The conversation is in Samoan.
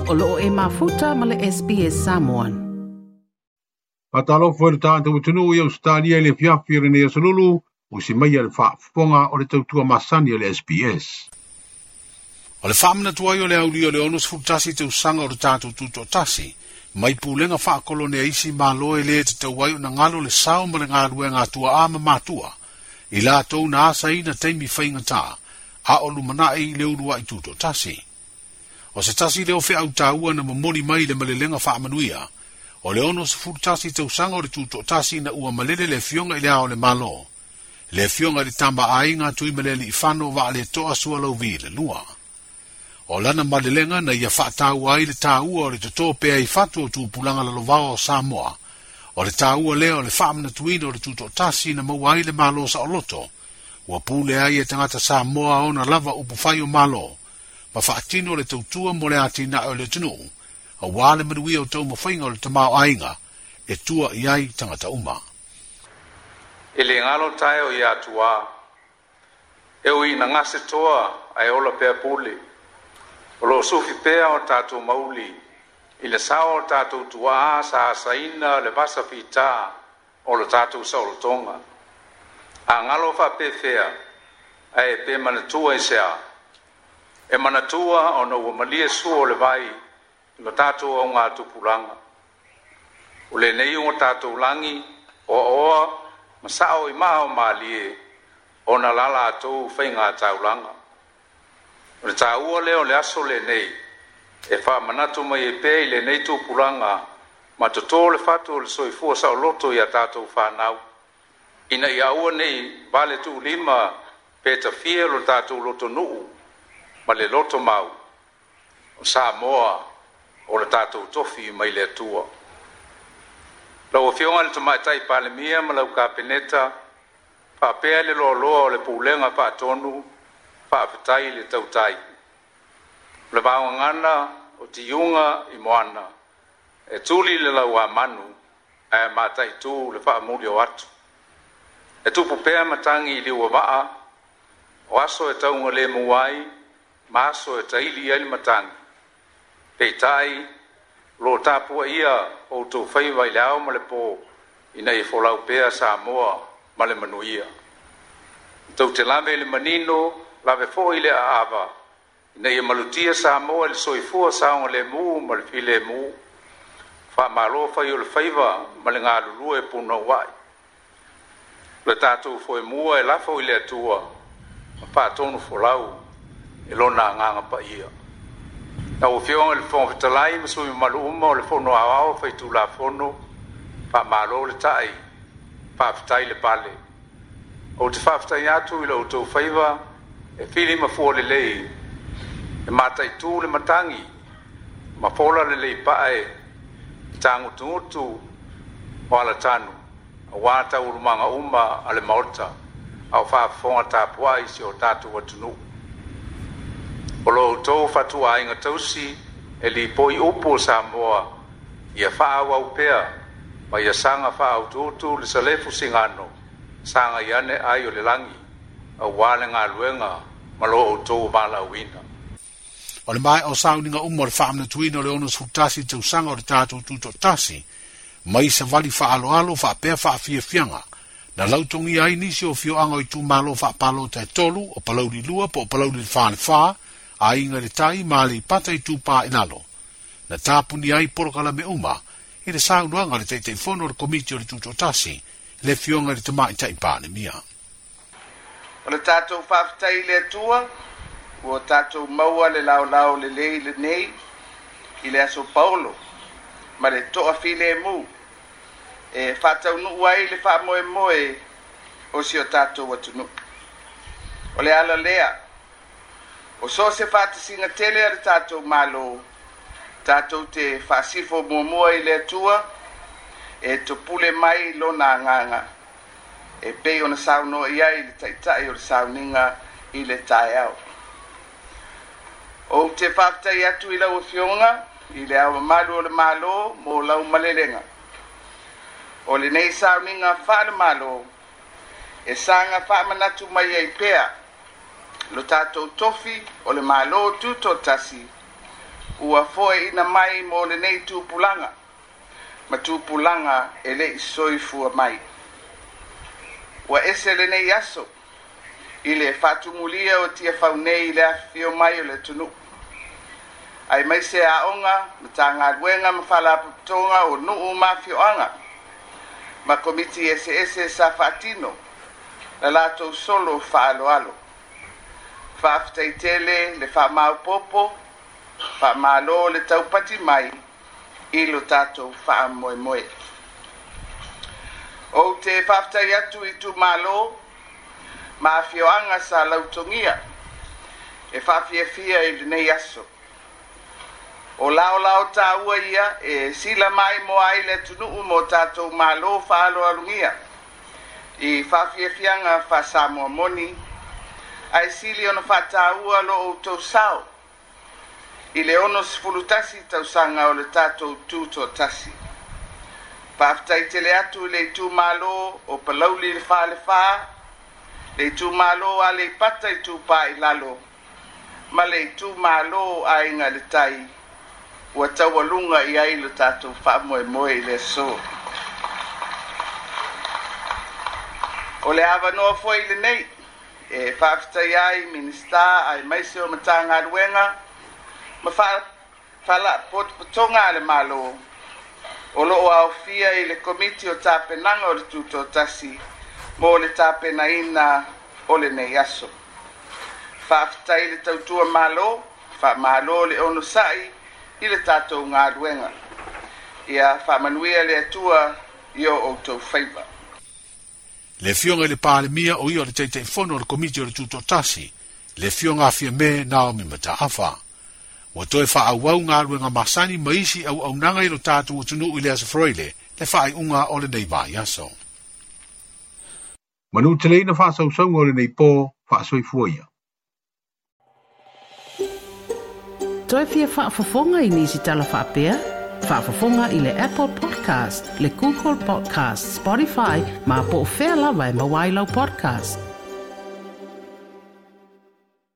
O loo e mafuta ma le SBS Samoan. Faatalofa i le tatou atunuu i Ausetalia i le afiafi o lenei aso Lulu, usi maia le faafofoga o le tautua masani a le SBS. O le faamanatu ai o le aulia o le 61 tausaga o le tatou tutoatasi, mai pulega faakolone a isi Malo e lē tatau ai ona galo le sao ma le galuega a tuaa ma matua, i latou na asaina taimi faigata, a o lumanai i le uluai tutoatasi. O se tasi lea o feau taua na momoli mai i le malelega faamanuia, o le 61 tausaga o le tutoatasi ina ua malele le Afioga i le Ao o le Malo, le Afioga i le Tama a Aiga Tuimalealiifano Vaaletoa Sualauvi le Lua. O lana malelega na ia faataua ai le taua o le totō pea i fatu o tupulaga lalovaoa o Samoa, o le taua lea o le faamanatuina o le tutoatasi na maua ai le Malo saoloto, ua pule ai e tagata Samoa ona lava upufai o Malo, ma faatino le tautua mo le atinae o le atunuu, auā le manuia o taumafaiga o le tamaoaiga e tua i ai tagata uma. E le galo taeo ia Tuā, e ui ina gase toa ae ola pea pule. O lo o sufi pea o tatou mauli i le sao o tatou tuaa sa asaina le vasa fitā o lo tatou saolotoga. A galo faapefea ae pe manatua i se a? E manatua ona ua malie sua o le vai i lo tatou augatupulaga. O lenei ua tatou lagi oaoa ma sao i maa o malie ona la latou faiga taulaga. O le taua lea o le aso lenei e faamanatu mai ai pea i lenei tupulaga ma totō le fatu o le soifua saoloto i a tatou fanau, ina ia aua ne i vale tuulima pe tafia lo tatou lotonuu ma le loto mau o Samoa o le tatou tofi mai le Atua. Lau Afioga i le Tamaitai Palemia ma lau Kapeneta, faapea le loaloa o le Pulega Faatonu, faafetai le tautai. O le vaogagana o tiuga i moana, e tuli le lauamanu ae mataitu le faamuli o atu. E tupu pea matagi i liuavaa, o aso e taugalemu ai, ma aso e taili ai le matagi. Peitai, o lo o tapuaia outou faiva i le ao ma le pō, ina ia folau pea Samoa ma le manuia. E tou te lave i le manino, lave foi i le aava, ina ia malutia Samoa i le soifua saogalemu ma le filemu. Faamalo fai o le faiva ma le galulue punouai. O le tatou foemua e lafo i le Atua ma faatonu folau e lona agaga paia. Lau Afioga i le Fofoga Fetalai ma sui mamalu uma o le Fono Aoao Faitulafono, faamalo le tai, faafetai le pale. Ou te faafetai atu i lo outou faiva e fili ma fua lelei, e mataitu le matagi ma fola lelei pae i tagutugutu o alatanu, auā taualumaga uma a le Maota a o faafofoga tapuai si o tatou atunuu. O lo outou fatuaiga tausi e lipoi upu o Samoa ia faaauau pea ma ia saga faautuutu le salefu sigano saga i ane ai o le lagi auā le galuega ma lo outou valaauina. O le maea o sauniga uma o le faamanatuina o le 61 tausaga o le tatou tutoatasi, mai savali faaaloalo faapea faafiafiaga, na lautogia ai nisi o afioaga o itumalo faapalota e tolu, o Palauli 2 po o Palauli le 4 le 4, Aiga i le Tai ma Aleipata Itupa i Lalo. Na tapunia ai polokalame uma i le saunoaga a le Taitaifono o le Komiti o le Tutoatasi, le Afioga i le Tamaitai Palemia. O le tatou faafetai i le Atua ua tatou maua le laolao lelei lenei i le Aso Paolo ma le toafilemu e faataunuu ai le faamoemoe o si o tatou atunuu. O le ala lea, o so o se faatasiga tele a le tatou Malo, tatou te faasifo muamua i le Atua e topule mai lona agaga e pei ona saunoa i ai le Taitai o le sauniga i le taeao. Ou te faafetai atu i lau Afioga i le Ao Mamalu o le Malo mo lau malelega. O lenei sauniga faale-Malo e saga faamanatu mai ai pea lo tatou tofi o le Malo Tutoatasi Ua foeina mai mo lenei tupulaga ma tupulaga e le'i soifua mai. Ua ese lenei aso i le faatumulia o Tiafau nei i le afifio mai o le atunuu, aemaise aoga, Matagaluega ma Faalapotopotoga o nuu ma afioaga ma komiti eseese sa faatino la latou solo faaaloalo. Faafetai tele le faamaopoopo, faamalo le taupati mai i lo tatou faamoemoe. Ou te faafetai atu i itumalo ma afioaga sa lautogia e faafiafia i lenei aso. O laolao taua ia e sila maimoa ai le atunuu ma o tatou malo faaaloalogia i faafiafiaga faa-Samoa moni, ae sili ona faataua lo outou sao i le 61 tausaga o le tatou tutoatasi. Faafetai tele atu i le itumalo o Palauli le Falefa, le itumalo o Aleipata Itupa i Lalo, ma le itumalo Aiga i le Tai ua taualuga i ai lo tatou faamoemoe i le aso. O le avanoa foi lenei e faafetaia ai Minisita aemaise o Matagaluega ma Faalapotopotoga a le Malo o lo o aofia i le Komiti o Tapenaga o le Tutoatasi mo le tapenaina o lenei aso. Faafetai le tautua Malo, faamalo le onosai i le tatou galuega. Ia faamanuia le Atua i o outou faiva. Le Afioga i le Palemia o ia o le Taitaifono o le Komiti o le Tutoatasi, le Afioga a Fiame Naomi Mataafa. Ua toe faaauau galuega masani ma isi auaunaga i lo tatou atunuu i le Aso Faraile, le faaiuga o lenei vaiaso. Manuteleina faasausauga o lenei po, faasoifua ia. Toe fia faafofoga i nisi tala faapea? Faafofoga i le Apple Podcast, le Google Podcast, Spotify, ma po o fea lava e maua ai lau podcast.